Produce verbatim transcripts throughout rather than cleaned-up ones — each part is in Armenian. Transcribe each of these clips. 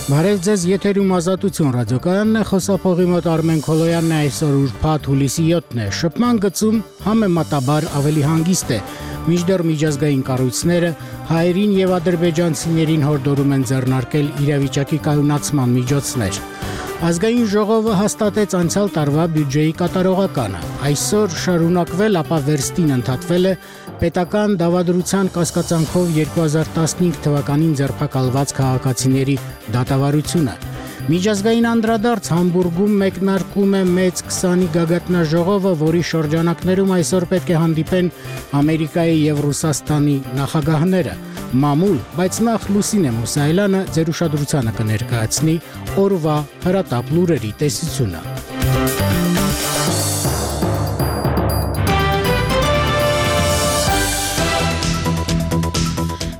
Բարև ձեզ, եթերում Ազատություն ռադիոկայանն է, խոսափողի մոտ Արմեն Քոլոյանն է, այսօր ուրբաթ հուլիսի յոթն է, շփման գծում համեմատաբար ավելի հանգիստ է, մինչդեռ միջազգային կառույցները հայերին եւ ադրբեջանցիներին հորդորում են ձեռնարկել իրավիճակի կայունացման միջոցներ։ Ազգային ժողովը հաստատեց անցյալ տարվա բյուջեի կատարողականը, այսօր շարունակվել, ապա վերստին ընդհատվել է պետական դավադրության կասկածանքով երկու հազար տասնհինգ թվականին ձերբակալված քաղաքացիների դատավարությունը։ Միջազգային անդրադարձ Համբուրգում մեկնարկում է մեծ քսանի գագաթնաժողովը, որի շրջանակներում այսօր պետք է հանդիպեն Ամերիկայի եւ Ռուսաստանի նախագահները։ Մամուլ, բայց նախ Լուսինե Մուսայելյանը ձեր ուշադրությանը կներկայացնի օրվա հրատապ լուրերի տեսությունը։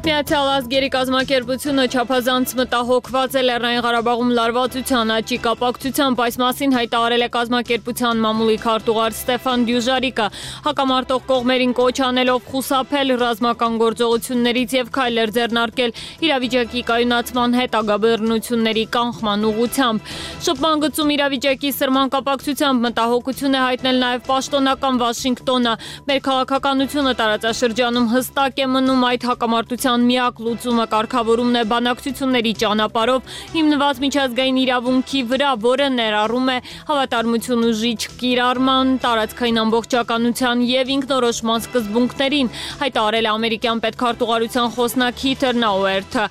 Միացյալ ազգերի կազմակերպությունը չափազանց մտահոգված է Լեռնային Ղարաբաղում լարվածության աճի կապակցությամբ, այս մասին հայտարարել է կազմակերպության մամուլի քարտուղար Ստեֆան Դյուժարիկը, հակամարտող կողմերին կոչ անելով խուսափել ռազմական գործողություններից եւ քայլեր ձեռնարկել իրավիճակի կայունացման հետագա բռնությունների կանխման ուղղությամբ։ Շփման գծում իրավիճակի սրման կապակցությամբ մտահոգություն է հայտնել նաեւ պաշտոնական Վաշինգտոնը։ Մեր քաղաքականությունը տարածաշրջանում հստակ է մնում, այդ հակամարտության միակ լուծումը կարգավորումն է բանակցությունների ճանապարհով հիմնված միջազգային իրավունքի վրա, որը ներառում է հավատարմություն ուժի չկիրառման, տարածքային ամբողջականության եւ ինքնորոշման սկզբունքներին, հայտարարել է ամերիկյան պետքարտուղարության խոսնակ Հիթեր Նաուերթը։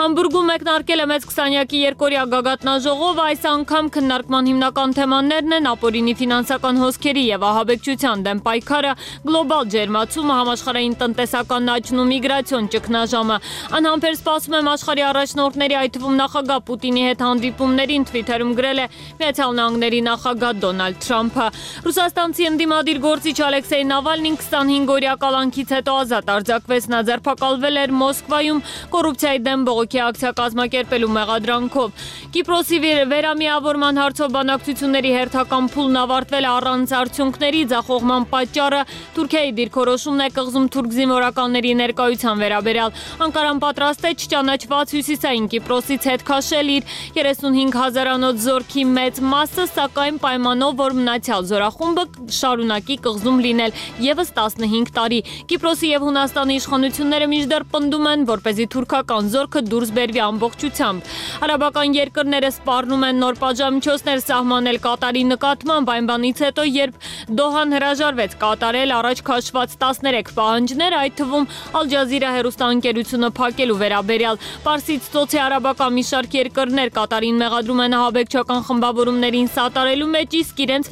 Համբուրգում մեկնարկել է մեծ քսանյակի երկօրյա գագաթնաժողովը, այս անգամ քննարկման հիմնական թեմաներն են ապօրինի ֆինանսական հոսքերի եւ ահաբեկչության դեմ պայքարը, գլոբալ ջերմացումը, համաշխարհային տնտեսական աճն ու միգրացիոն ճգնաժամը։ Անհամբեր սպասում եմ աշխարհի առաջնորդների, այդ թվում նախագահ Պուտինի հետ հանդիպումներին, Թվիթերում գրել է Միացյալ Նահանգների նախագահ Դոնալդ Թրամփը։ Ռուսաստանցի ընդդիմադիր գործիչ Ալեքսեյ Նավալնին քսանհինգօրյա կալանքից հետո ազատ արձակվեց, նա ձերբակալվել էր Մոսկվայում կոռուպցիայի դեմ բողոքի ակցիա կազմակերպելու մեղադրանքով։ Կիպրոսի վերամիավորման հարցով բանակցությունների հերթական փուլն ավարտվել է առանց արդյունքների, ձախողման պատճառը Թուրքիայի դիրքորոշումն է կղզում թուրք զինվորականների ներկայության վերաբերյալ։ Անկարան պատրաստ է չճանաչված հյուսիսային Կիպրոսից հետ քաշել իր երեսունհինգ հազարանոց զորքի մեծ մասը, սակայն պայմանով, որ մնացյալ զորախումբը շարունակի կղզում լինել եւս տասնհինգ տարի։ Կիպրոսի եւ Հունաստանի իշխանությունները մինչդեռ պնդում են, որպեսզի թուրքական զորքը դուրս բերվի ամբողջությամբ։ Արաբական երկրները սպառնում են նոր պատժամիջոցներ սահմանել Կատարի նկատմամբ, այն բանից հետո, երբ Դոհան հրաժարվեց կատարել առաջ քաշված տասներեք պահանջներ, այդ թվում Ալ Ջազիրա հեռուստաընկերությունը փակելու վերաբերյալ։ Պարսից ծոցի արաբական մի շարք երկրներ Կատարին մեղադրում են ահաբեկչական խմբավորումներին սատարելու մեջ, իսկ իրենց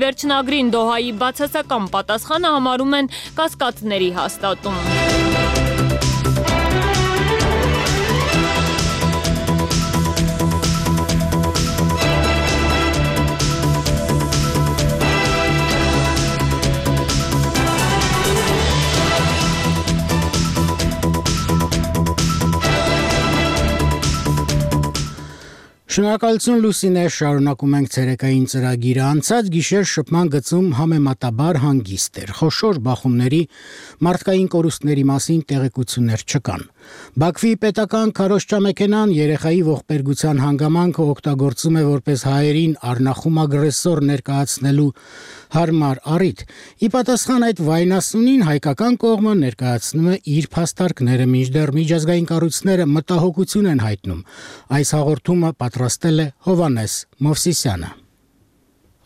վերջնագրին Դոհայի բացասական պատասխանը համարում են կասկածների հաստատում։ Շնորհակալություն Լուսինե, շարունակում ենք ցերեկային ծրագիրը, անցած գիշեր շփման գծում համեմատաբար հանգիստ էր, խոշոր բախումների, մարդկային կորուստների մասին տեղեկություններ չկան։ Բաքվի պետական քարոզչամեքենան երեխայի ողբերգության հանգամանքը օգտագործում է որպես հայերին առնախում ագրեսոր ներկայացնելու հարմար առիթ։ Ի պատասխան այդ վայնասունին հայկական կողմը ներկայացնում է իր փաստարկները, մինչդեռ միջազգային կառույցները մտահոգություն են հայտնում։ Այս հաղորդումը պատրաստել է Հովանես Մովսիսյանը։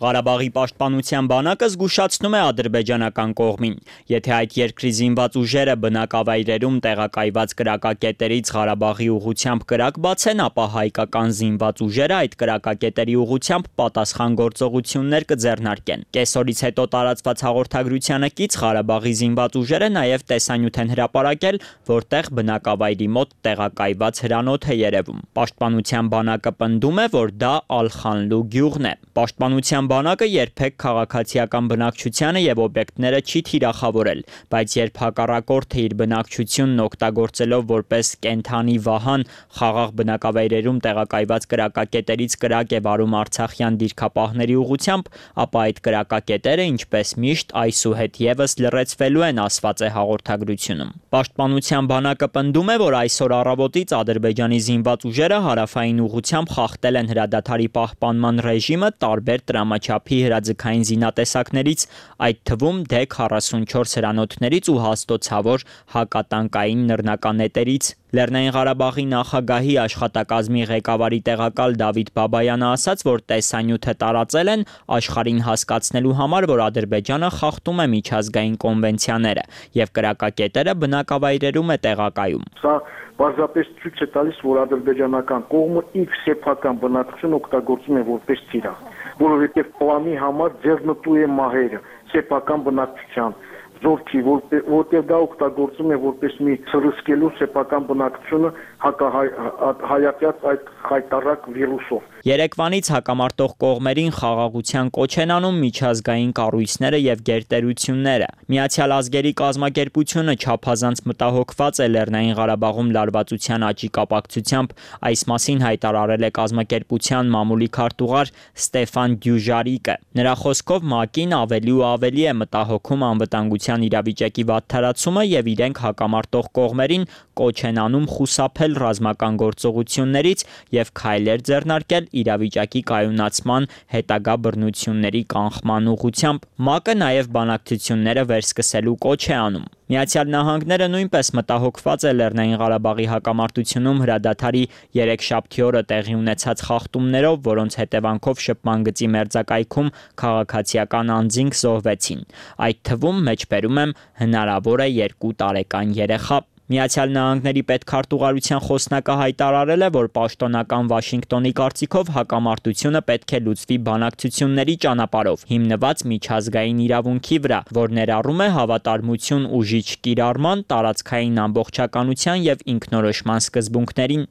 Ղարաբաղի պաշտպանության բանակը զգուշացնում է ադրբեջանական կողմին, եթե այդ երկրի զինված ուժերը բնակավայրերում տեղակայված կրակակետերից Ղարաբաղի ուղղությամբ կրակ բացեն, ապա հայկական զինված ուժերը այդ կրակակետերի ուղղությամբ պատասխան գործողություններ կձեռնարկեն։ Կեսօրից հետո տարածված հաղորդագրությանը կից Ղարաբաղի զինված ուժերը նաև տեսանյութ են հրապարակել, որտեղ բնակավայրի մոտ տեղակայված հրանոթ է երևում։ Պաշտպանության բանակը պնդում է, որ դա Ալ-Խանլու գյուղն է։ Պաշտպանության բանակը երբեք քաղաքացիական բնակչությանը եւ օբյեկտները չի թիրախավորել, բայց երբ հակառակորդը իր բնակչությունն օգտագործելով որպես կենթանի վահան խաղաղ բնակավայրերում տեղակայված կրակակետերից կրակ է վարում արցախյան դիրքապահների ուղղությամբ, ապա այդ կրակակետերը, ինչպես միշտ, այսուհետ եւս լրացվելու են, ասված է հաղորդագրությունում։ Պաշտպանության բանակը պնդում է, որ այսօր առավոտից Ադրբեջանի զինված ուժերը հարավային ուղղությամբ խախտել են հրադադարի պահպանման ռեժիմը տարբեր տրամաչափի հրաձգային զինատեսակներից, այդ թվում դե քառասունչորս հրանոթներից ու հաստոցավոր հակատանկային նռնականետերից։ Լեռնային Ղարաբաղի նախագահի աշխատակազմի ղեկավարի տեղակալ Դավիթ Բաբայանը ասաց, որ տեսանյութը տարածել են աշխարհին հասկացնելու համար, որ Ադրբեջանը խախտում է միջազգային կոնվենցիաները եւ կրակակետերը բնակավայրերում է տեղակայում։ Սա պարզապես ցույց է տալիս, որ ադրբեջանական կողմը իր սեփական բնակչությունը օգտագործում է որպես թիրախ, որովհետեւ պլանի համար ձեռնտու է մահերը սեփական բնակչության զորքի, որտեղ դա օգտագործում է որպես մի սրսկելու սեփական բնակչությունը հակահայացած այդ խայտառակ վիրուսով։ Երեկվանից հակամարտող կողմերին խաղաղության կոչ են անում միջազգային կառույցները եւ գերտերությունները։ Միացյալ ազգերի կազմակերպությունը չափազանց մտահոգված է Լեռնային Ղարաբաղում լարվածության աճի կապակցությամբ, այս մասին հայտարարել է կազմակերպության մամուլի քարտուղար Ստեֆան Դյուժարիկը։ Նրա խոսքով ՄԱԿ-ին ավելի ու ավելի է մտահոգում անվտանգության իրավիճակի վատթարացումը եւ իրենք հակամարտող կողմերին կոչ են անում խուսափել ռազմական գործողություններից եւ քայլեր ձեռնարկել իրավիճակի կայունացման հետագա բռնությունների կանխման ուղղությամբ։ ՄԱԿ-ը նաեւ բանակցությունները վերսկսելու կոչ է անում։ Միացյալ Նահանգները նույնպես մտահոգված է Լեռնային Ղարաբաղի հակամարտությունում հրադադարի երեքշաբթի օրը տեղի ունեցած խախտումներով, որոնց հետևանքով շփման գծի մերձակայքում քաղաքացիական անձինք զոհվեցին։ Այդ թվում մեջբերում եմ հնարավոր է երկու տարեկան երեխա։ Միացյալ Նահանգների պետքարտուղարության խոսնակը հայտարարել է, որ պաշտոնական Վաշինգտոնի կարծիքով հակամարտությունը պետք է լուծվի բանակցությունների ճանապարհով, հիմնված միջազգային իրավունքի վրա, որ ներառում է հավատարմություն ուժիչ կիրառման, տարածքային ամբողջականության եւ ինքնորոշման սկզբունքներին։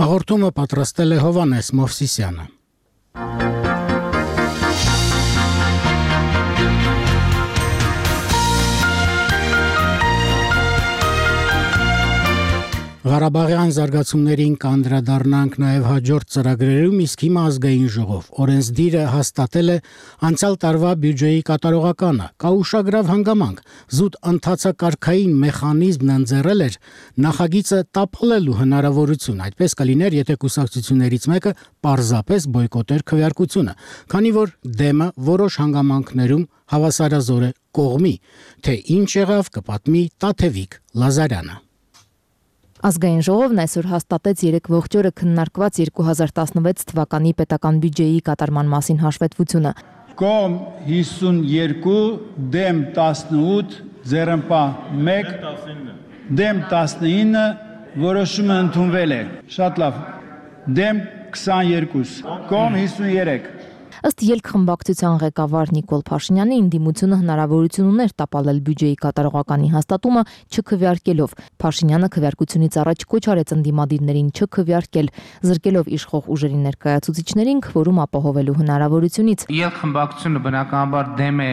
Հաղորդումը պատրաստել է Հովանես Մովսիսյանը։ Ղարաբաղյան զարգացումներին կանդրադառնանք նաև հաջորդ ծրագրերում, իսկ հիմա ազգային ժողով օրենսդիրը հաստատել է անցյալ տարվա բյուջեի կատարողականը։ Կա ուշագրավ հանգամանք, զուտ ընթացակարգային մեխանիզմն ընձեռել էր նախագիծը տապալելու հնարավորություն, այդպես կլիներ, եթե կուսակցություններից մեկը պարզապես բոյկոտեր քվեարկությունը, քանի որ դեմը որոշ հանգամանքներում հավասարազոր է կողմի, թե ինչ եղավ կպատմի Տաթևիկ Լազարյանը։ Ազգային ժողովն այսօր հաստատեց երեք ողջ օրը քննարկված երկու հազար տասնվեց թվականի պետական բյուջեի կատարման մասին հաշվետվությունը։ Կողմ հիսունյոթ, դեմ տասնութ, ձեռնպահ մեկ, դեմ տասնինը, որոշումը ընդունվել է։ Շատ լավ։ Դեմ քսաներկու, կողմ հիսունյոթ։ Ըստ ելքխմբակցության ղեկավար Նիկոլ Փաշինյանի, ընդդիմությունը հնարավորություն ուներ տապալել բյուջեի կատարողականի հաստատումը չքվեարկելով։ Փաշինյանը քվեարկությունից առաջ կոչ արեց ընդդիմադիրներին չքվեարկել, զրկելով իշխող ուժերի ներկայացուցիչներին քվորում ապահովելու հնարավորությունից։ Ելքխմբակցությունը բնականաբար դեմ է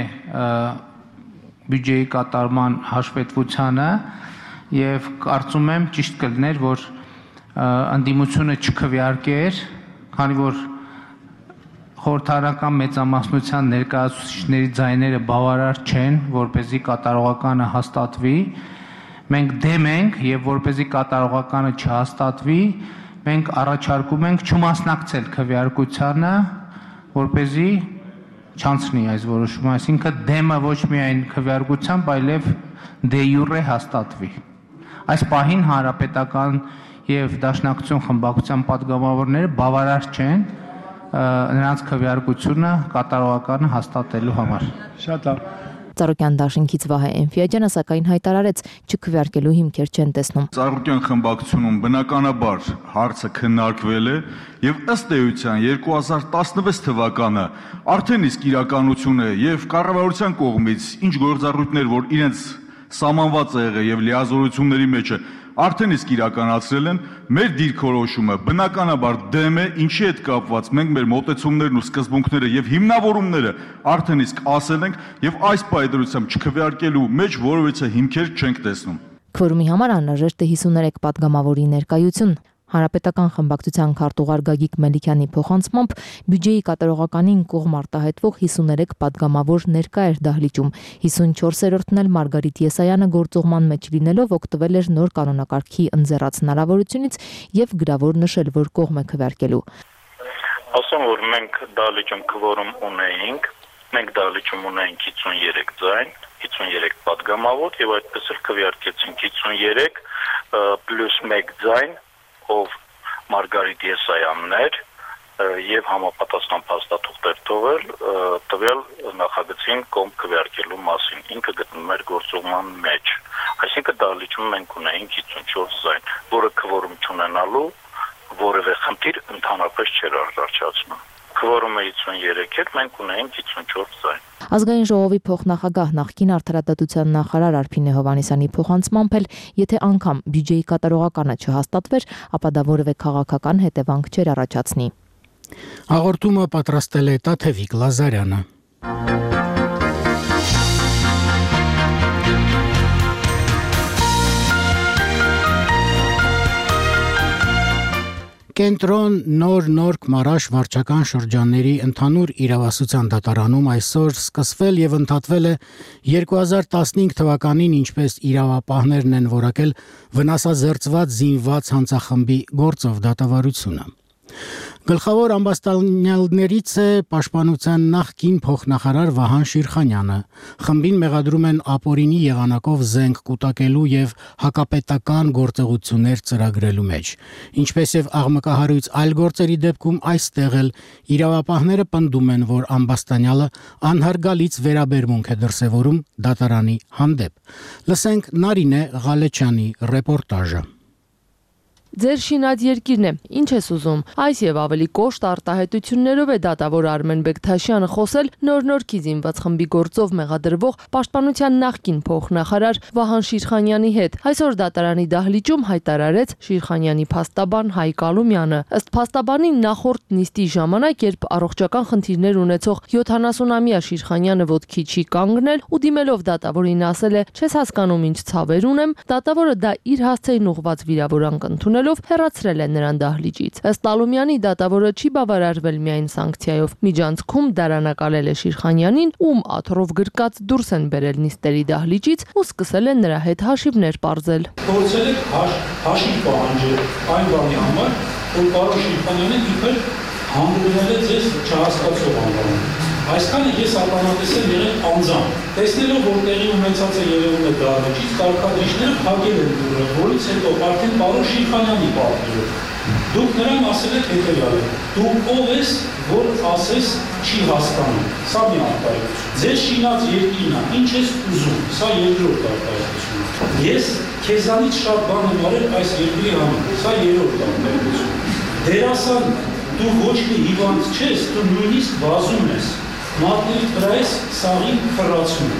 բյուջեի կատարման հաշվետվությանը եւ կարծում եմ ճիշտ կլիներ, որ ընդդիմությունը չքվեարկեր, քանի որ խորհրդարանական մեծամասնության ներկայացուցիչների ձայները բավարար չեն, որպեսզի կատարողականը հաստատվի։ Մենք դեմ ենք եւ որպեսզի կատարողականը չհաստատվի, մենք առաջարկում ենք չմասնակցել քվեարկությանը, որպեսզի չանցնի այս որոշումը, այսինքն դեմը ոչ միայն քվեարկությամբ, այլև դե յուրե հաստատվի։ Այս պահին հանրապետական եւ դաշնակցություն խմբակցության պատգամավորները բավարար չեն նրանց քվեարկությունը կատարողականը հաստատելու համար։ Շատ լավ։ Ծառուկյան դաշինքից Վահե Էնֆիաջյանը սակայն հայտարարեց չքվեարկելու հիմքեր չեն տեսնում։ Ծառուկյան խմբակցությունում բնականաբար հարցը քննարկվել է եւ ըստ էության երկու հազար տասնվեց թվականը արդեն իսկ իրականություն է եւ կառավարության կողմից ինչ գործառույթներ, որ իրենց սահմանված է եղել եւ լիազորությունների մեջ է, արդեն իսկ իրականացրել են, մեր դիրքորոշումը բնականաբար դեմ է, ինչի հետ կապված մենք մեր մոտեցումներն ու սկզբունքները եւ հիմնավորումները արդեն իսկ ասել ենք եւ այս պայդրությամբ չքվեարկելու մեջ որևիցե հիմքեր չենք տեսնում։ Քվորումի համար անհրաժեշտ է հիսուներեք պատգամավորի ներկայություն։ Հանրապետական խմբակցության քարտուղար Գագիկ Մելիքյանի փոխանցմամբ բյուջեի կատարողականին կողմ արտահայտվող հիսուներեք պատգամավոր ներկա էր դահլիճում։ հիսունչորսերորդն էլ Մարգարիտ Եսայանը գործուղման մեջ լինելով օգտվել էր նոր կանոնակարգի ընձեռած հնարավորությունից եւ գրավոր նշել, որ կողմ է քվեարկելու։ Ասում որ մենք դահլիճում քվորում ունեինք, մենք դահլիճում ունեինք հիսուներեք ձայն, հիսուներեք պատգամավոր եւ այդպես էլ քվեարկեցինք հիսուներեք պլյուս մեկ ձայն, ով Մարգարիտ Եսայանն էր եւ համապատասխան փաստաթուղթեր թողել տվյալ նախագծին կողմ քվեարկելու մասին, ինքը գտնում էր գործուղման մեջ, այսինքն դահլիճում մենք ունեինք հիսունչորս ձայն, որը քվորում չունենալու որևէ խնդիր ընդհանրապես չէր առաջացնում։ Քվորումը հիսուներեք էր, մենք ունեինք հիսունչորս ձայն։ Ազգային ժողովի փոխնախագահ նախկին արդարադատության նախարար Արփինե Հովհաննիսյանի փոխանցմամբ էլ, եթե անգամ բյուջեի կատարողականը չհաստատվեր, ապա դա որևէ քաղաքական հետևանք չէր առաջացնի։ Հաղորդումը պատրաստել է Տաթևիկ Լազարյանը։ Կենտրոն նոր նորք մարաշ վարչական շրջանների ընդհանուր իրավասության դատարանում այսօր սկսվել եւ ընդհատվել է երկու հազար տասնհինգ թվականին, ինչպես իրավապահներն են որակել վնասազերծված զինված հանցախմբի գործով դատավարությունը։ Գլխավոր ամբաստանյալներից է պաշտպանության նախկին փոխնախարար Վահան Շիրխանյանը։ Խմբին մեղադրում են ապօրինի եղանակով զենք կուտակելու եւ հակապետական գործողություններ ծրագրելու մեջ։ Ինչպես եւ աղմկահարույց այլ գործերի դեպքում այստեղ էլ իրավապահները պնդում են, որ ամբաստանյալը անհարգալից վերաբերմունք է դրսևորում դատարանի հանդեպ։ Լսենք Նարինե Ղալեչյանի ռեպորտաժը։ Ձեր շինած երկիրն է, ինչ ես ուզում։ Այս եւ ավելի կոշտ արտահայտություններով է դատավոր Արմեն Բեկթաշյանը խոսել նոր-նորքի զինված խմբի գործով մեղադրվող պաշտպանության նախկին փոխնախարար Վահան Շիրխանյանի հետ։ Այսօր դատարանի դահլիճում հայտարարեց Շիրխանյանի փաստաբան Հայկ Ալումյանը։ Ըստ փաստաբանի նախորդ նիստի ժամանակ, երբ առողջական խնդիրներ ունեցող յոթանասունամյա Շիրխանյանը ոտքի չի կանգնել ու դիմելով դատավորին ասել է. «Չես հասկանում ինչ ցավեր ունեմ», դատավորը դա իր հասցեին ուղված վիրավորանք ընդունել հեռացրել է նրան դահլիճից։ Ըստ Ալումյանի դատավորը չի բավարարվել միայն սանկցիայով։ Միջանցքում դարանակալել է Շիրխանյանին, ում աթոռով գրկած դուրս են բերել նիստերի դահլիճից ու սկսել են նրա հետ հաշիվներ պարզել։ Փորձել եք հաշիվ պահանջել այն բանի համար, որ պարոն Շիրխանյանը իբր հանդուրժել է ձեզ չհասկացող անվանում։ Այսքանը ես ականատեսել եղել անձամբ։ Տեսնելով, որ տեղի ունեցած է երևում է դահլիճից, կարգադրիչները փակել են դուռը, որից հետո արդեն պարոն Շիրխանյանի պատվիրով դուք նրան ասել եք հետևյալը. դու ով ես, որ ասես չի հասկանում։ Սա մի արտահայտություն։ Ձեր շինած երկիրն է, ինչ ես ուզում։ Սա երկրորդ արտահայտությունն է։ Ես քեզանից շատ բան եմ արել այս երկրի համար։ Սա երրորդ արտահայտությունն է։ Դերասան, դու ոչ մի հիվանդ չես, դու նույնիսկ վազում ես։ Մատների վրա ես սաղին խրացում։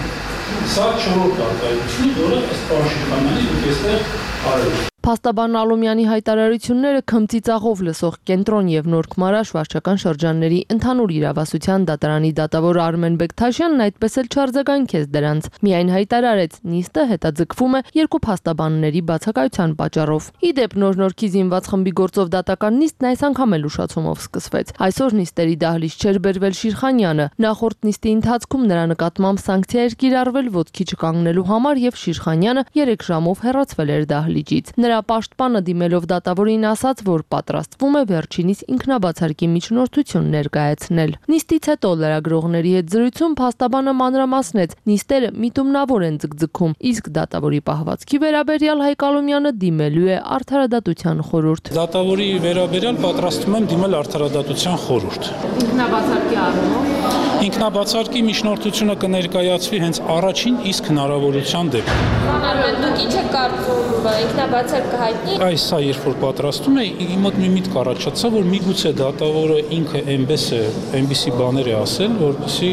Սա չորրորդ արտահայտությունն է, որը ըստ պարոն Շիրխանյանի դուք այստեղ արել եք։ Փաստաբան Ալումյանի հայտարարությունները քմծիծաղով լսող Կենտրոն եւ Նորք մարաշ վարչական շրջանների ընդհանուր իրավասության դատարանի դատավոր Արմեն Բեկթաշյանն այդպես էլ չարձագանքեց դրանց։ Միայն հայտարարեց, նիստը հետաձգվում է երկու փաստաբանների բացակայության պատճառով։ Ի դեպ, Նոր-Նորքի զինված խմբի գործով դատական նիստն այս անգամ էլ ուշացումով սկսվեց։ Այսօր նիստերի դահլիճ չէր բերվել Շիրխանյանը։ Նախորդ նիստի ընթացքում նրա նկատմամբ սանկցիա էր կիրառվել ոտքի չկանգնելու համար եւ Շիրխանյանը երեք ժամով հեռացվել էր դահլիճից։ Նրա պաշտպանը դիմելով դատավորին ասաց, որ պատրաստվում է վերջինիս ինքնաբացարկի միջնորդություն ներկայացնել։ Նիստից հետո լրագրողների հետ զրույցում փաստաբանը մանրամասնեց, նիստերը միտումնավոր են ձգձգում, իսկ դատավորի պահվածքի վերաբերյալ Հայկ Ալումյանը դիմելու է արդարադատության խորհուրդ։ Դատավորի վերաբերյալ պատրաստվում եմ դիմել արդարադատության խորհուրդ։ Ինքնաբացարկի առումով Ինքնաբացարկի միջնորդությունը կներկայացվի հենց առաջին իսկ հնարավորության դեպքում։ Արմեն, դուք ինչ եք կարծում ինքնաբացարկի կհայտնի։ Այս սա երբ որ պատրաստում է, իմ մոտ մի միտք առաջացավ, որ միգուցե դատավորը ինքը այնպես է, այնպիսի բաներ է ասել, որպեսզի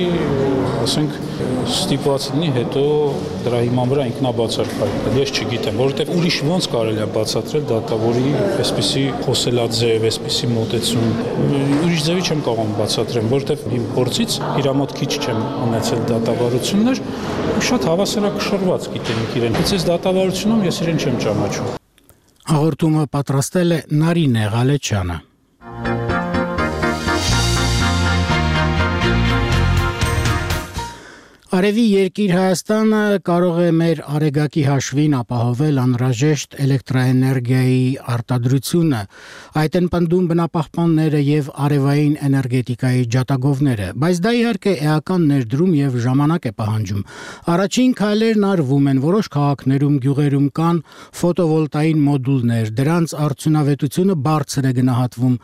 ասենք ստիպված լինի հետո դրա հիման վրա ինքնաբացարկել։ Ես չգիտեմ, որովհետև ուրիշ ոնց կարելի է բացատրել դատավորի այսպիսի խոսելաձև, այսպիսի մոտեցում։ Ուրիշ ձևի չեմ կարող բացատրեմ, որովհետև իմ փորձից իր մոտ քիչ չեմ ունեցել դատավարություններ, շատ հավասարակշռված գիտենք իրեն։ Բայց այս դատավարությունում ես իրեն չեմ ճանաչում։ Հաղորդումը պատրաստել է Նարինե Ղալեչյանը։ Արևի երկիր Հայաստանը կարող է մեր արեգակի հաշվին ապահովել անհրաժեշտ էլեկտրաէներգիայի արտադրությունը, այդ են պնդում բնապահպանները եւ արևային էներգետիկայի ջատագովները, բայց դա իհարկե էական ներդրում եւ ժամանակ է պահանջում։ Առաջին քայլերն արվում են, որոշ քաղաքներում, գյուղերում կան ֆոտովոլտային մոդուլներ, դրանց արդյունավետությունը բարձր է գնահատվում։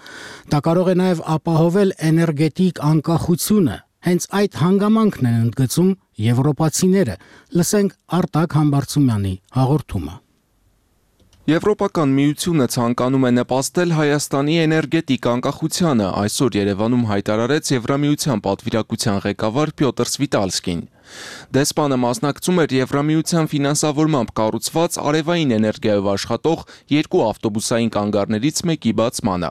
Դա կարող է նաեւ ապահովել էներգետիկ անկախությունը։ Հենց այդ հանգամանքն են ընդգծում եվրոպացիները։ Լսենք Արտակ Համբարձումյանի հաղորդումը։ Եվրոպական միությունը ցանկանում է նպաստել Հայաստանի էներգետիկ անկախությանը, այսօր Երևանում հայտարարեց Եվրամիության պատվիրակության ղեկավար Պյոտր Սվիտալսկին։ Դեսպանը մասնակցում էր Եվրամիության ֆինանսավորմամբ կառուցված արևային էներգիայով աշխատող երկու ավտոբուսային կանգառներից մեկի բացմանը։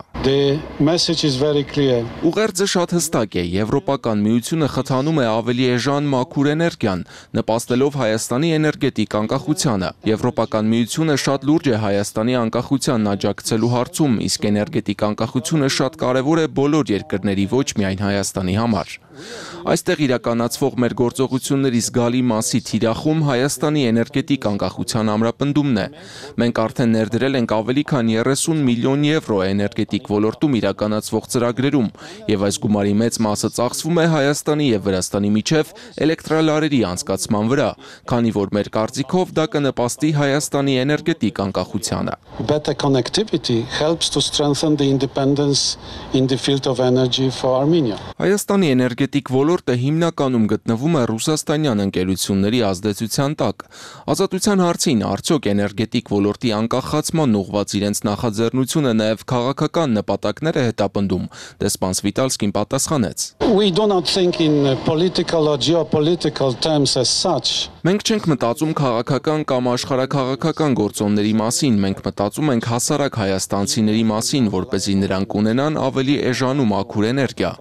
Ուղերձը շատ հստակ է, Եվրոպական միությունը խթանում է ավելի էժան մաքուր էներգիան, նպաստելով Հայաստանի էներգետիկ անկախությանը։ Եվրոպական միությունը շատ լուրջ է Հայաստանի անկախությանն աջակցելու հարցում, իսկ էներգետիկ անկախությունը շատ կարևոր է բոլոր երկրների, ոչ միայն Հայաստանի համար։ Այստեղ իրականացվող մեր գործողությունների զգալի մասի թիրախում Հայաստանի էներգետիկ անկախության ամրապնդումն է։ Մենք արդեն ներդրել ենք ավելի քան երեսուն միլիոն եվրո էներգետիկ ոլորտում իրականացվող ծրագրերում, եւ այս գումարի մեծ մասը ծախսվում է Հայաստանի եւ Վրաստանի միջև էլեկտրալարերի անցկացման վրա, քանի որ մեր կարծիքով դա կնպաստի Հայաստանի էներգետիկ անկախությանը։ Better connectivity helps to strengthen the independence in the field of energy for Armenia. Հայաստանի էներգետիկ ոլորտը հիմնականում գտնվում է ռուսաստանյան ընկերությունների ազդեցության տակ։ Ազատության հարցին արդյոք էներգետիկ ոլորտի անկախացման ուղղված իրենց նախաձեռնությունը նաև քաղաքական նպատակներ է հետապնդում, դեսպան Սվիտալսկին պատասխանեց։ We do not think in political or geopolitical terms as such. Մենք չենք մտածում քաղաքական կամ աշխարհաքաղաքական գործոնների մասին, մենք մտածում ենք հասարակ հայաստանցիների մասին, որպեսզի նրանք ունենան ավելի էժան ու մաքուր էներգիա։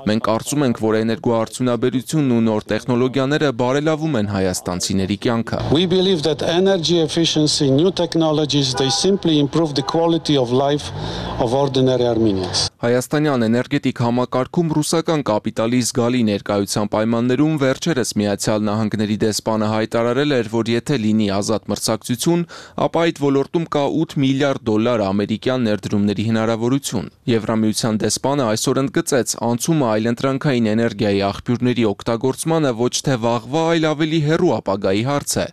Մենք կարծում ենք, որ էներգոարդյունաբերությունն ու նոր տեխնոլոգիաները բարելավում են հայաստանցիների կյանքը։ We believe that energy efficiency, new technologies, they simply improve the quality of life of ordinary Armenians. Հայաստանյան էներգետիկ համակարգում ռուսական կապիտալի զգալի ներկայության պայմաններում վերջերս Միացյալ Նահանգների դեսպանը հայտարարել էր, որ եթե լինի ազատ մրցակցություն, ապա այդ ոլորտում կա ութ միլիարդ դոլար ամերիկյան ներդրումների հնարավորություն։ Եվրամիության դեսպանը այսօր ընդգծեց, անցումը այլընտրանքային էներգիայի աղբյուրների օգտագործմանը ոչ թե վաղվա, այլ ավելի հեռու ապագայի հարց է,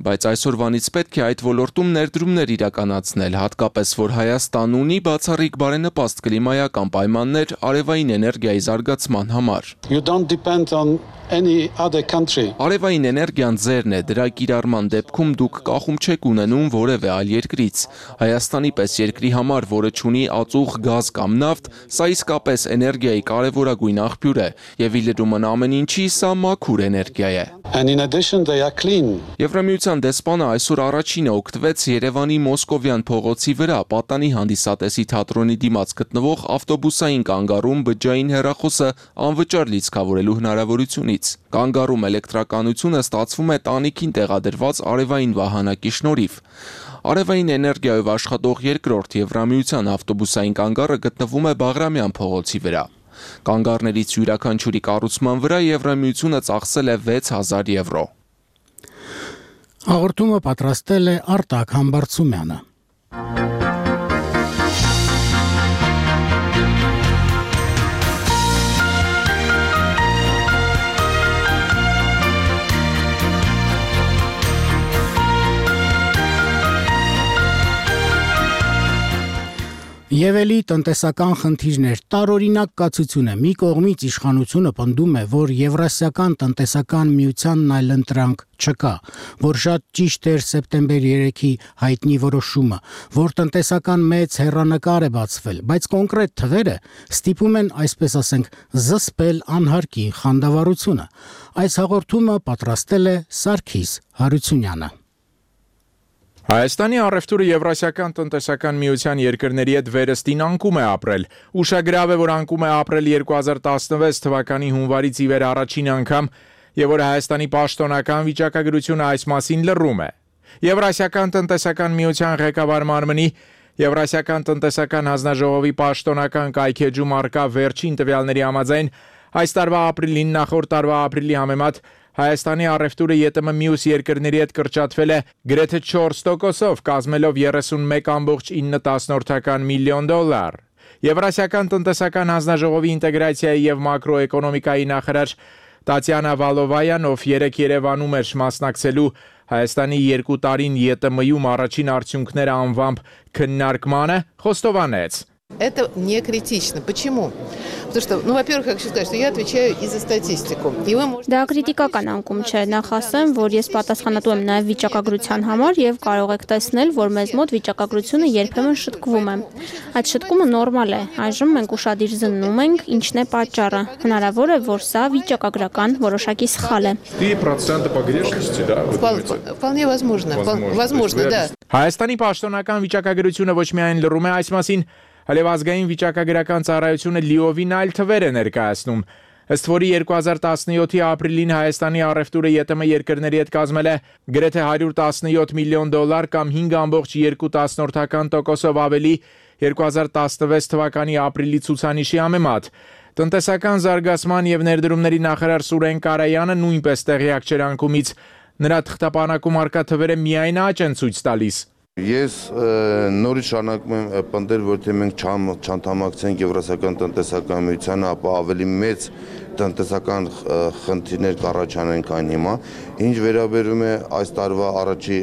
բայց այսօրվանից պետք է այդ ոլորտում ներդրումներ իրականացնել, հատկապես որ Հայաստան ունի բացառիկ բարենպաստ կլիմայական պայմաններ արևային էներգիայի զարգացման համար։ You don't depend on any other country. Արևային էներգիան ձերն է, դրա կիրառման դեպքում դուք կախում չեք ունենում որևէ այլ երկրից։ Հայաստանի պես երկրի համար, որը չունի ածուխ գազ կամ նավթ, սա իսկապես էներգիայի կարևորագույն աղբյուր է, եւ ի լրումն ամեն ինչի սա մաքուր էներգիա է։ And in addition they are clean. Եվրամիության դեսպանը այսօր առաջինը օգտվեց Երևանի Մոսկովյան փողոցի վրա պատանի հանդիսատեսի թատրոնի դիմաց գտնվող ավտոբուսային կանգառում բջջային հեռախոսը անվճար լիցքավորելու հնարավորությունից։ Կանգառում էլեկտրականությունը ստացվում է տանիքին տեղադրված արևային վահանակի շնորհիվ։ Արևային էներգիայով աշխատող երկրորդ Եվրամիության ավտոբուսային կանգառը գտնվում է Բաղրամյան փողոցի վրա։ Կանգառներից յուրաքանչյուրի կառուցման վրա Եվրամիությունը ծախսել է վեց հազար եվրո։ Հաղորդումը պատրաստել է Արտակ Համբարձումյանը։ Եվ էլի տնտեսական խնդիրներ տարօրինակ կացությունը մի կողմից իշխանությունը պնդում է, որ Եվրասիական տնտեսական միությանն այլընտրանք չկա, որ շատ ճիշտ էր սեպտեմբեր երեքի հայտնի որոշումը, որ տնտեսական մեծ հեռանկար է բացվել, բայց կոնկրետ թվերը ստիպում են, այսպես ասենք, զսպել անհարկի խանդավառությունը։ Այս հաղորդումը պատրաստել է Սարգիս Հարությունյանը։ Հայաստանի առևտուրը Եվրասիական տնտեսական միության երկրների հետ վերստին անկում է ապրել։ Ուշագրավ է, որ անկում է ապրել երկու հազար տասնվեց թվականի հունվարից ի վեր առաջին անգամ, եւ որ Հայաստանի պաշտոնական վիճակագրությունը այս մասին լռում է։ Եվրասիական տնտեսական միության ղեկավար մարմնի Եվրասիական տնտեսական հանձնաժողովի պաշտոնական կայքեջում արկա վերջին տվյալների համաձայն այս տարվա ապրիլին նախորդ տարվա ապրիլի համեմատ Հայաստանի առևտուրը ԵՏՄ մյուս երկրների հետ կրճատվել է գրեթե չորս տոկոսով, կազմելով երեսունմեկ կόμma ինը միլիոն դոլար։ Եվրասիական տնտեսական հանձնաժողովի ինտեգրացիայի եւ մակրոէկոնոմիկայի նախարար Տատյանա Վալովայան, ով երեք Երևանում էր մասնակցելու Հայաստանի երկու տարին ԵՏՄ-ում առաջին արդյունքները անվամբ քննարկմանը, խոստովանեց. Это не критично. Почему? Потому что, ну, во-первых, я хочу сказать, что я отвечаю и за статистику. И вы можете... Դա քրիտիկական անկում չէ, նախ ասեմ, որ ես պատասխանատու եմ նաև վիճակագրության համար եւ կարող եք տեսնել, որ մեզ մոտ վիճակագրությունը երբեմն շտկվում է։ Այդ շտկումը նորմալ է։ Այժմ մենք ուշադիր զննում ենք, ինչն է պատճառը։ Հնարավոր է, որ սա վիճակագրական որոշակի սխալ է։ три процента погрешности, да? Вполне возможно. Возможно, да. Հայաստանի պաշտոնական վիճակագրությունը ոչ միայն լռում է այս մասին, այլև ազգային վիճակագրական ծառայությունը լիովին այլ թվեր է ներկայացնում։ Ըստ որի երկու հազար տասնյոթի ապրիլին Հայաստանի առևտուրը ԵՏՄ երկրների հետ կազմել է գրեթե հարյուր տասնյոթ միլիոն դոլար կամ հինգ կόμma երկու տոկոսով ավելի երկու հազար տասնվեց թվականի ապրիլի ցուցանիշի համեմատ։ Տնտեսական զարգացման եւ ներդրումների նախարար Սուրեն Կարայանը նույնպես տեղյակ չէր անկումից։ Նրա թղթապանակում արկա թվերը միայն աճ են ցույց տալիս։ Ես նորից շարունակում եմ պնդել, որ թե մենք չանդամակցենք Եվրասիական տնտեսական միությանը, ապա ավելի մեծ տնտեսական խնդիրներ կառաջանան քան հիմա։ Ինչ վերաբերում է այս տարվա առաջի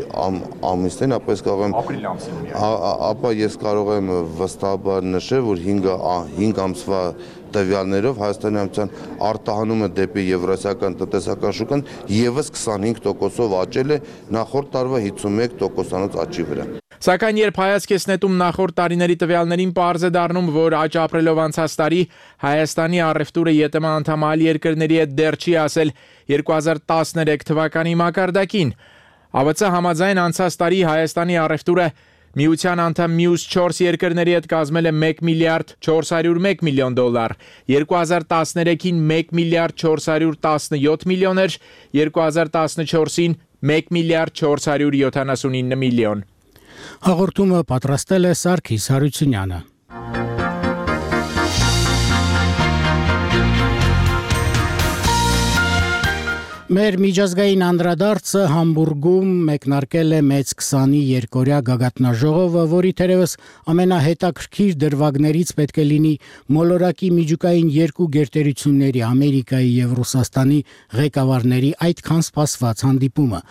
ամիսներին, ապա ես կարող եմ ապա ես կարող եմ վստահաբար նշել, որ հինգ ամսվա տվյալներով Հայաստանի Հանրապետության արտահանումը դեպի Եվրասիական տնտեսական շուկան եւս քսանհինգ տոկոսով աճել է նախորդ տարվա հիսունմեկ տոկոսանոց աճի վրա։ Սակայն երբ հայացք ես նետում նախորդ տարիների տվյալներին, պարզ է դառնում, որ աճ ապրելով անցած տարի Հայաստանի առևտուրը ԵՏՄ անդամ այլ երկրների հետ դեռ չի ասել երկու հազար տասներեք թվականի մակարդակին։ ԱՎԾ համաձայն անցած տարի Հայաստանի առևտուրը Միության անդամ մյուս չորս երկրների հետ կազմել է մեկ միլիարդ չորս հարյուր մեկ միլիոն դոլար, երկու հազար տասներեքին մեկ միլիարդ չորս հարյուր տասնյոթ միլիոն էր, երկու հազար տասնչորսին մեկ միլիարդ չորս հարյուր յոթանասունինը միլիոն։ Հաղորդումը պատրաստել է Սարգիս Հարությունյանը։ Մեր միջազգային անդրադարձը Համբուրգում մեկնարկել է մեծ քսանի երկօրյա գագաթնաժողովը, որի թերևս ամենահետաքրքիր դրվագներից պետք է լինի մոլորակի միջուկային երկու գերտերությունների Ամերիկայի եւ Ռուսաստանի ղեկավարների այդքան սպասված հանդիպումը։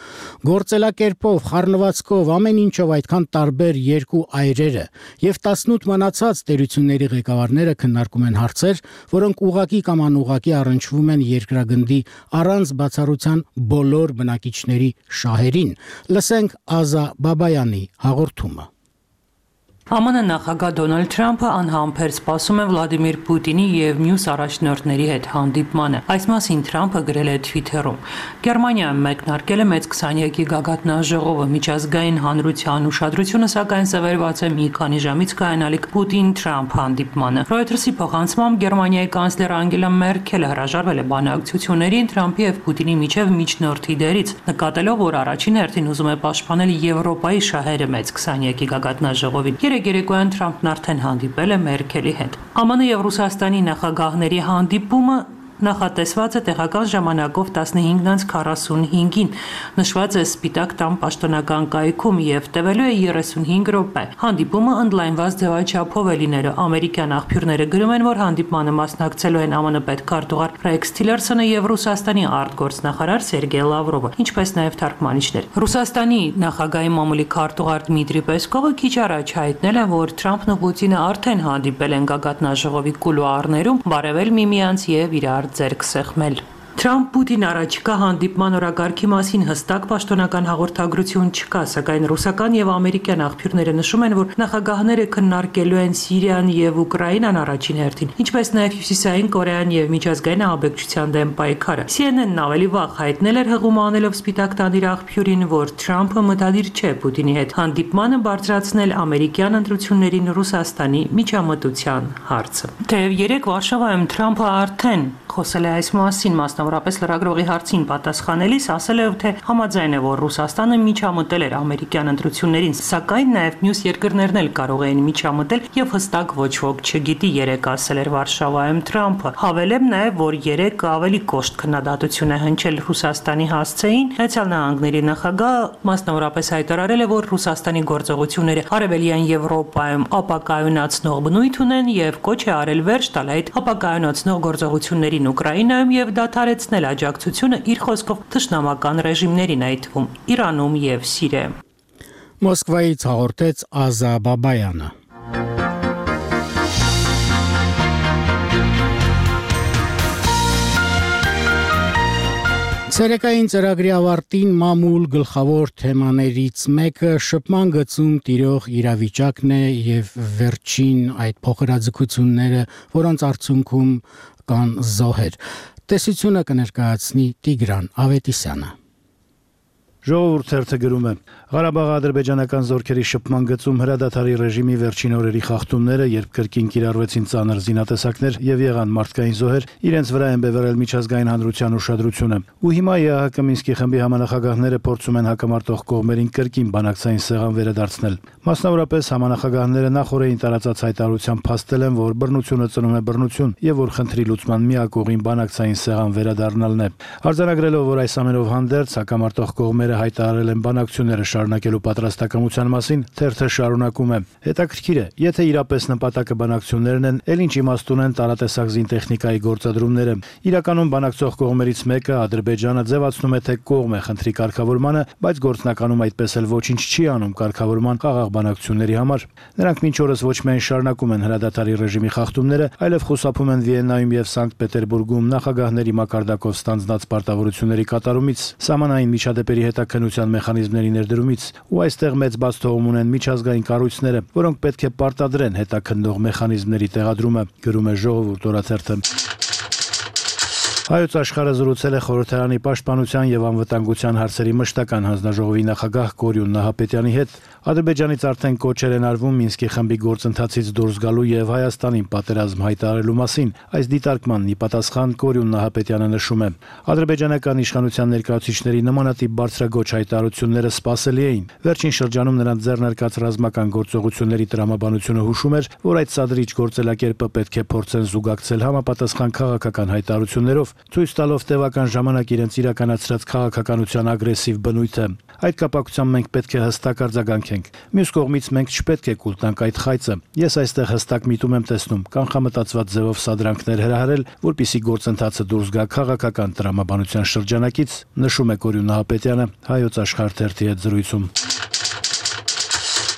Գործելակերպով, խառնվածքով, ամեն ինչով այդքան տարբեր երկու այրերը եւ տասնութ մնացած տերությունների ղեկավարները քննարկում են հարցեր, որոնք ուղղակի կամ անուղղակի առնչվում են երկրագնդի առանց բացառ բոլոր բնակիչների շահերին։ Լսենք Ազա Բաբայանի հաղորդումը։ ԱՄՆ նախագահ Դոնալդ Թրամփը անհամբեր սպասում է Վլադիմիր Պուտինի եւ մյուս առաջնորդների հետ հանդիպմանը։ Այս մասին Թրամփը գրել է Twitter-ում։ Գերմանիայում մեկնարկել է մեծ քսանյակի գագաթնաժողովը, միջազգային հանրության ուշադրությունը սակայն սևեռված է մի քանի ժամից կայանալիք Պուտին-Թրամփ հանդիպմանը։ Reuters-ի փոխանցմամբ Գերմանիայի կանցլեր Անգելա Մերքելը հրաժարվել է բանակցություններին Թրամփի եւ Պուտինի միջև միջնորդի դերից, նկատելով, որ առաջին հերթին ուզում է պաշտպանել Եվրոպայի շահերը մեծ քսանյակի գագաթնաժողովին։ Երեկոյան Թրամփն արդեն հանդիպել է Մերքելի հետ։ ԱՄՆ եւ Ռուսաստանի նախագահների հանդիպումը Նախատեսված է տեղական ժամանակով տասնհինգ քառասունհինգին։ Նշված է Սպիտակ տան պաշտոնական կայքում եւ տևելու է երեսունհինգ րոպե։ Հանդիպումը ընդլայնված ձևաչափով է լինելու։ Ամերիկյան աղբյուրները գրում են, որ հանդիպմանը մասնակցելու են ԱՄՆ պետքարտուղար Ռեքս Թիլերսոնը եւ Ռուսաստանի արտգործնախարար Սերգեյ Լավրովը, ինչպես նաեւ թարգմանիչներ։ Ռուսաստանի նախագահի մամուլի քարտուղար Դմիտրի Պեսկովը քիչ առաջ հայտնել է, որ Թրամփն ու Պուտինը արդեն հանդիպել են գագաթնաժողովի կուլուարներում, բարևել միմյանց եւ իրար ձեռք սեղմել։ Թրամփ-Պուտին առաջիկա հանդիպման օրակարգի մասին հստակ պաշտոնական հաղորդագրություն չկա, սակայն ռուսական եւ ամերիկյան աղբյուրները նշում են, որ նախագահները քննարկելու են Սիրիան եւ Ուկրաինան առաջին հերթին, ինչպես նաեւ Հյուսիսային Կորեան եւ միջազգային ահաբեկչության դեմ պայքարը։ C N N-ն ավելի վաղ հայտնել էր հղում անելով Սպիտակ տանի աղբյուրին, որ Թրամփը մտադիր չէ Պուտինի հետ հանդիպմանը բարձրացնել ամերիկյան ընտրություններին Ռուսաստանի միջամտության հարցը։ Թեև երեք Վարշավայում Թրամփը արդեն խոսել է այս մասին, մասնավորապես լրագրողի հարցին պատասխանելիս ասել է, թե համաձայն է, որ Ռուսաստանը միջամտել էր ամերիկյան ընտրություններին, սակայն նաև մյուս երկրներն էլ կարող էին միջամտել եւ հստակ ոչ ոք չգիտի, երեք ասել էր Վարշավայում Թրամփը։ Հավելեմ նաև, որ երեք ավելի կոշտ քննադատություն է հնչել Ռուսաստանի հասցեին։ Միացյալ Նահանգների նախագահը մասնավորապես հայտարարել է, որ Ռուսաստանի գործողությունները Արևելյան Եվրոպայում ապակայունացնող բնույթ ունեն եւ կոչ է արել վերջ տալ այդ ապակայունացնող գործողություններին Ուկրաինայում եւ դադարեցնել աջակցությունը իր խոսքով թշնամական ռեժիմներին, այդ թվում Իրանում եւ Սիրիայում։ Մոսկվայից հաղորդեց Ազա Բաբայանը։ Ցերեկային ծրագրի ավարտին մամուլ գլխավոր թեմաներից մեկը շփման գծում տիրող իրավիճակն է եւ վերջին այդ փոխհրաձգությունները, որոնց արդյունքում կան զոհեր։ Տեսությունը կներկայացնի Տիգրան Ավետիսյանը։ Ժողովուրդ թերթը գրում է. Ղարաբաղի ադրբեջանական զորքերի շփման գծում հրադադարի ռեժիմի վերջին օրերի խախտումները, երբ կրկին կիրառվեցին ծանր զինատեսակներ եւ եղան մարդկային զոհեր, իրենց վրա են բևեռել միջազգային հանրության ուշադրությունը։ Ու հիմա Է Ահ Կը Մինսկի խմբի համանախագահները փորձում են հակամարտող կողմերին կրկին բանակցային սեղան վերադարձնել։ Մասնավորապես համանախագահները նախորդին տարածած հայտարարությամբ փաստել են, որ բռնությունը ծնում է բռնություն եւ որ խնդրի լուծման միակ ուղին բանակցային սեղան վերադառնալն է։ Արձանագրելով, որ այս ամենով հանդերձ հակամարտող կողմերը հայտարարել են բանակցությունները շարունակելու պատրաստակամության մասին, թերթը շարունակում է. Հետաքրքիր է, եթե իրապես նպատակը բանակցություններն են, ել ինչ իմաստուն են տարատեսակ զինտեխնիկայի գործադրումները։ Իրականում բանակցող կողմերից մեկը Ադրբեջանը ձևացնում է, թե կողմ է խնդրի կարգավորմանը, բայց գործնականում այդպես էլ ոչինչ չի անում կարգավորման խաղաղ բանակցությունների համար։ Նրանք մինչ օրս ոչ միայն շարունակում են հրադադարի ռեժիմի խախտումները, այլև խուսափում են Վիեննայում եւ Սանկտ Պետերբուրգում նախագահների մակարդակով ստանձնած պարտավորությունների կատարումից, սահմանային միջադեպերի հետաքննության մեխանիզմների ներդրումից, ու այստեղ մեծ բաց թողում ունեն միջազգային կառույցները, որոնք պետք է պարտադրեն հետաքննող մեխանիզմների տեղադրումը, գրում է Ժողովուրդ օրաթերթը։ Հայոց աշխարհը զրուցել է խորհրդարանի պաշտպանության եւ անվտանգության հարցերի մշտական հանձնաժողովի նախագահ Կորյուն Նահապետյանի հետ։ Ադրբեջանից արդեն կոչեր են արվում Մինսկի խմբի գործընթացից դուրս գալու եւ Հայաստանին պատերազմ հայտարարելու մասին։ Այս դիտարկմանն ի պատասխան Կորյուն Նահապետյանը նշում է. ադրբեջանական իշխանության ներկայացուցիչների նմանատիպ բարձրագոչ հայտարարությունները սպասելի էին։ Վերջին շրջանում նրանց ձեռնարկած ռազմական գործողությունների տրամաբանությունը հուշում էր, որ այդ սադրիչ գործելակերպը պետք է փորձեն զուգակցել համապատասխան քաղաքական հայտարարություններով, ցույց տալով տևական ժամանակ իրենց իրականացրած քաղաքականության ագրեսիվ բնույթը։ Այդ կապակցությամբ մենք պետք է հստակ արձագանքենք։ Մյուս կողմից մենք չպետք է կուլ տանք այդ խայծը։ Ես այստեղ հստակ միտում եմ տեսնում կանխամտածված ձևով սադրանքներ հրահրել, որպիսի գործընթացը դուրս գա քաղաքական տրամաբանության շրջանակից, նշում է Կորյուն Նահապետյանը Հայոց աշխարհ թերթի հետ զրույցում։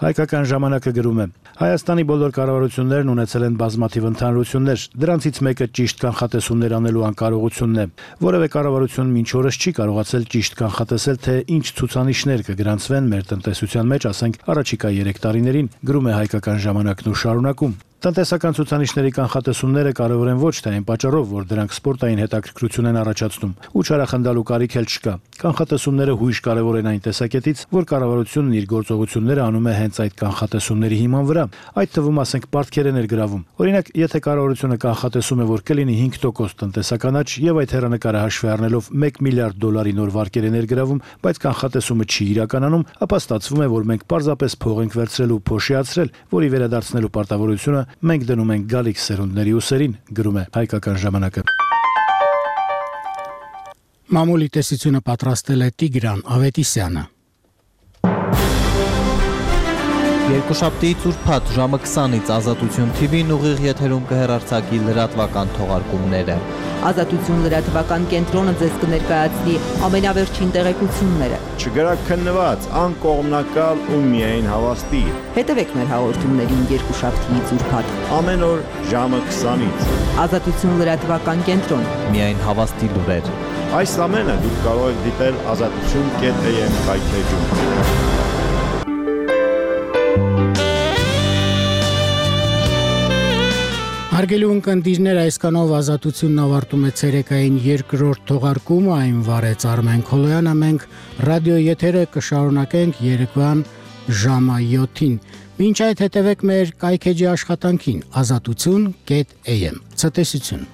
Հայկական ժամանակը գրում է. Հայաստանի բոլոր կառավարություններն ունեցել են բազմաթիվ ընդհանրություններ, դրանցից մեկը ճիշտ կանխատեսումներ անելու անկարողությունն է։ Որևէ կառավարություն մինչ օրս չի կարողացել ճիշտ կանխատեսել, թե ինչ ցուցանիշներ կգրանցվեն մեր տնտեսության մեջ, ասենք, առաջիկա երեք տարիներին, գրում է Հայկական ժամանակն ու շարունակում։ Տնտեսական ցուցանիշների կանխատեսումները կարևոր են ոչ թե այն պատճառով, որ դրանք սպորտային հետաքրքրություն են առաջացնում, ու չարախնդալու կարիք էլ չկա։ Կանխատեսումները հույժ կարևոր են այն տեսակետից, որ կառավարությունն իր գործողությունները անում է հենց այդ կանխատեսումների հիման վրա, այդ թվում ասենք պարտքեր է ներգրավում։ Օրինակ, եթե կառավարությունը կանխատեսում է, որ կլինի հինգ տոկոս տնտեսական աճ եւ այդ հեռանկարը հաշվի առնելով մեկ միլիարդ դոլարի նոր վարկեր է ներգրավում, բայց կանխատեսումը չի իրականանում, ապա ստացվում է, որ մենք պարզապես փող ենք վերցրել ու փոշիացրել, որի վերադարձնելու պարտավորությունը մենք դնում ենք գալիք սերունդների ուսերին, գրում է Հայկական ժամանակը։ Մամուլի տեսությունը պատրաստել է Տիգրան Ավետիսյանը։ Երկուշաբթի ծուրփաթ ժամը քսանից Ազատություն Թի Վին ուղիղ եթերում կհեռարձակի լրատվական թողարկումները։ Ազատություն լրատվական կենտրոնը ձեզ կներկայացնի ամենավերջին տեղեկությունները։ Չգրաքննված, անկողմնակալ ու միայն հավաստի։ Հետևեք մեր հաղորդումներին երկուշաբթի ծուրփաթ ամեն օր ժամը քսանից։ Ազատություն լրատվական կենտրոն։ Միայն հավաստի լուրեր։ Այս ամենը դուք կարող եք դիտել ազատություն կետ էյ էմ կայքեջում։ Հարգելի ունկնդիրներ, այսքանով Ազատությունն ավարտում է ցերեկային երկրորդ թողարկումը, այն վարեց Արմեն Քոլոյանը, մենք ռադիո եթերը կշարունակենք երեկոյան ժամը յոթին։ Մինչ այդ հետևեք մեր կայքեջի աշխատանքին ազատություն կետ էյ էմ։ Ցտեսություն։